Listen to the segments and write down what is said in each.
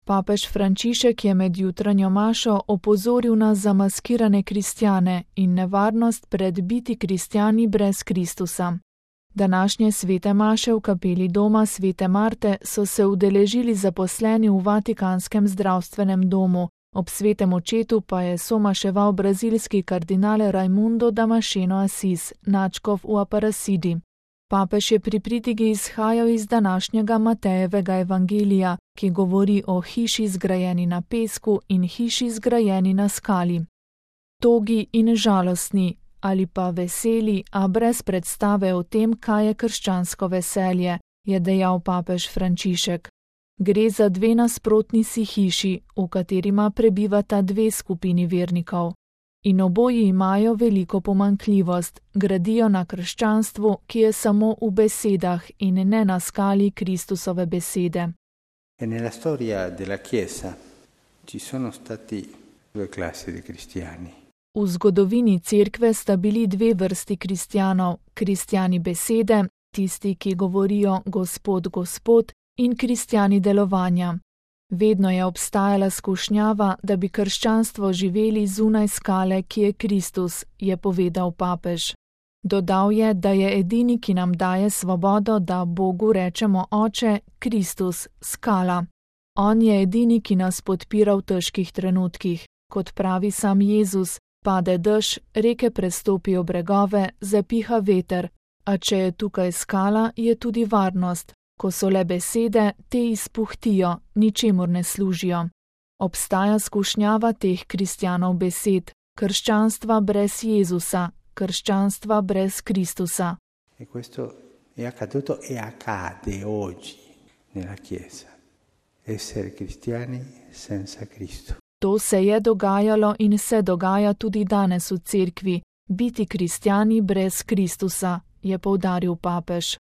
Papež Frančišek je med jutranjo mašo opozoril na zamaskirane kristjane in nevarnost pred biti kristjani brez Kristusa. Današnje svete maše v kapeli doma svete Marte so se udeležili zaposleni v Vatikanskem zdravstvenem domu, ob svetem očetu pa je somaševal brazilski kardinal Raimundo Damasceno Assis, nadškof v Aparecidi. Papež je pri pritigi izhajal iz današnjega Matejevega evangelija, ki govori o hiši zgrajeni na pesku in hiši zgrajeni na skali. Togi in žalostni, ali pa veseli, a brez predstave o tem, kaj je krščansko veselje, je dejal papež Frančišek. Gre za dve nasprotni si hiši, v katerima prebivata dve skupini vernikov. In oboji imajo veliko pomanjkljivost, gradijo na krščanstvu, ki je samo v besedah in ne na skali Kristusove besede. Nella storia della Chiesa ci sono stati due classi di cristiani. V zgodovini cerkve sta bili dve vrsti kristjanov, kristjani besede, tisti, ki govorijo Gospod, Gospod, in kristjani delovanja. Vedno je obstajala skušnjava, da bi krščanstvo živeli zunaj skale, ki je Kristus, je povedal papež. Dodal je, da je edini, ki nam daje svobodo, da Bogu rečemo Oče, Kristus, skala. On je edini, ki nas podpira v težkih trenutkih. Kot pravi sam Jezus, pade dež, reke prestopijo bregove, zapiha veter, a če je tukaj skala, je tudi varnost. Ko so le besede, te izpuhtijo, ničemur ne služijo. Obstaja skušnjava teh kristjanov besed, krščanstva brez Jezusa, krščanstva brez Kristusa. E questo è accaduto e accade oggi nella Chiesa. Essere cristiani senza Cristo. To se je dogajalo in se dogaja tudi danes v cerkvi, biti kristjani brez Kristusa, je poudaril papež.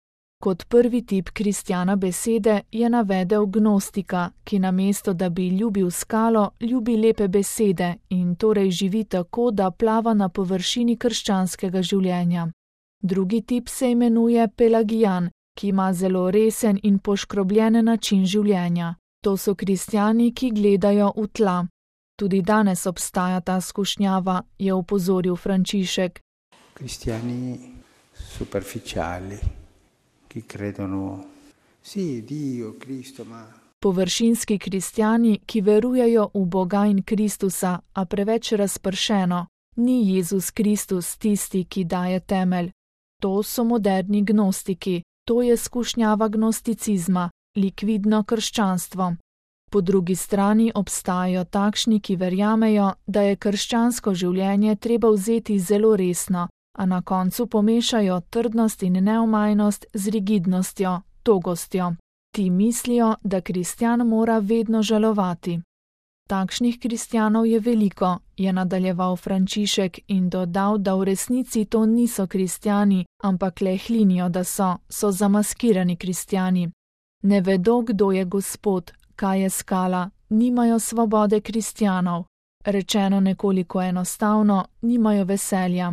Kot prvi tip kristjana besede je navedel gnostika, ki namesto da bi ljubil skalo, ljubi lepe besede in torej živi tako, da plava na površini krščanskega življenja. Drugi tip se imenuje pelagijan, ki ima zelo resen in poškrobljen način življenja. To so kristjani, ki gledajo v tla. Tudi danes obstaja ta skušnjava, je opozoril Frančišek. Kristjani superficiali. Ki credono, sì, Dio, Cristo, ma... Površinski kristjani, ki verujejo v Boga in Kristusa, a preveč razpršeno, ni Jezus Kristus tisti, ki daje temelj. To so moderni gnostiki, to je skušnjava gnosticizma, likvidno krščanstvo. Po drugi strani obstajajo takšni, ki verjamejo, da je krščansko življenje treba vzeti zelo resno, a na koncu pomešajo trdnost in neomajnost z rigidnostjo, togostjo. Ti mislijo, da kristjan mora vedno žalovati. Takšnih kristjanov je veliko, je nadaljeval Frančišek in dodal, da v resnici to niso kristjani, ampak le hlinijo, da so zamaskirani kristjani. Ne vedo, kdo je Gospod, kaj je skala, nimajo svobode kristjanov. Rečeno nekoliko enostavno, nimajo veselja.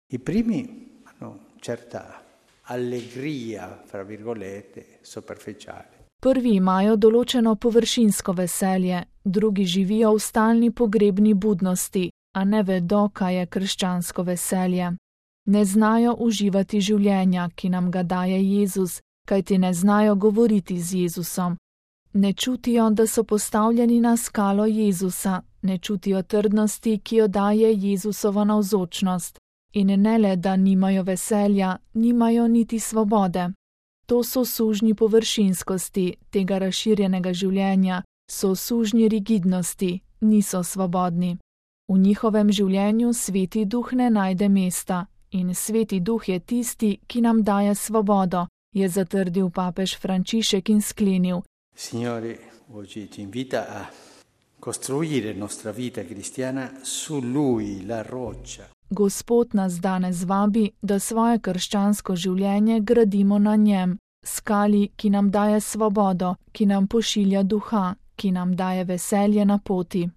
I primi hanno certa allegria, fra virgolette, superficiale. Prvi imajo določeno površinsko veselje, drugi živijo v stalni pogrebni budnosti, a ne vedo, kaj je krščansko veselje. Ne znajo uživati življenja, ki nam ga daje Jezus, kajti ne znajo govoriti z Jezusom. Ne čutijo, da so postavljeni na skalo Jezusa, ne čutijo trdnosti, ki jo daje Jezusova navzočnost. In ne le, da nimajo veselja, nimajo niti svobode. To so sužnji površinskosti tega razširjenega življenja, so sužnji rigidnosti, niso svobodni. V njihovem življenju Sveti Duh ne najde mesta in Sveti Duh je tisti, ki nam daje svobodo, je zatrdil papež Frančišek in sklenil. Signore, oggi ti invita a costruire nostra vita cristiana su Lui, la roccia. Gospod nas danes vabi, da svoje krščansko življenje gradimo na njem, skali, ki nam daje svobodo, ki nam pošilja duha, ki nam daje veselje na poti.